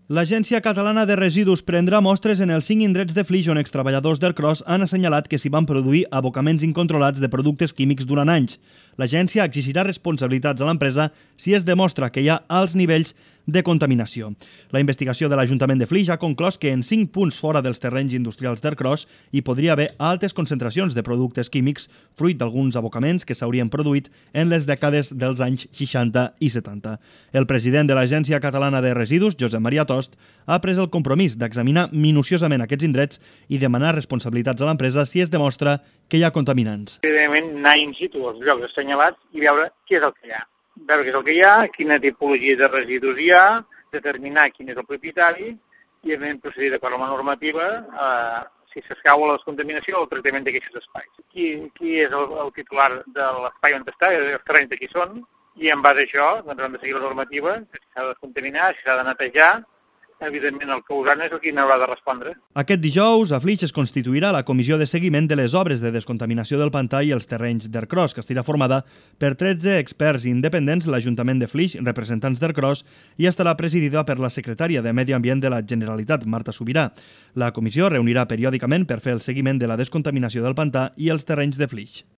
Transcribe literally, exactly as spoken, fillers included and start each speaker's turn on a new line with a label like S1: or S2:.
S1: L'Agència Catalana de Residus prendrà mostres en els cinc indrets de Flix on extreballadors d'Ercros han assenyalat que s'hi van produir abocaments incontrolats de productes químics durant anys. L'agència exigirà responsabilitats a l'empresa si es demostra que hi ha alts nivells de contaminació. La investigació de l'Ajuntament de Flix ha conclòs que en cinc punts fora dels terrenys industrials d'Ercros hi podria haver altes concentracions de productes químics fruit d'alguns abocaments que s'haurien produït en les dècades dels anys seixanta i setanta. El president de l'Agència Catalana de Residus, Josep Maria Tost, ha pres el compromís d'examinar minuciosament aquests indrets i demanar responsabilitats a l'empresa si es demostra que hi ha contaminants.
S2: Evidentment, anar in situ als llocs assenyalats i veure què és el que hi ha. Veure què és el que hi ha, quina tipologia de residus hi ha, determinar quin és el propietari i, evidentment, procedir d'acord amb la normativa eh, si s'escau a la descontaminació o el tractament d'aquests espais. Qui, qui és el, el titular de l'espai on està, els terrenys de qui són, i en base a això doncs, hem de seguir la normativa, si s'ha de descontaminar, si s'ha de netejar. Evidentment, el causant és el qui n'haurà de respondre.
S1: Aquest dijous, a Flix es constituirà la comissió de seguiment de les obres de descontaminació del pantà i els terrenys d'Ercros, que estarà formada per tretze experts independents, l'Ajuntament de Flix, representants d'Ercros, i estarà presidida per la secretària de Medi Ambient de la Generalitat, Marta Subirà. La comissió reunirà periòdicament per fer el seguiment de la descontaminació del pantà i els terrenys de Flix.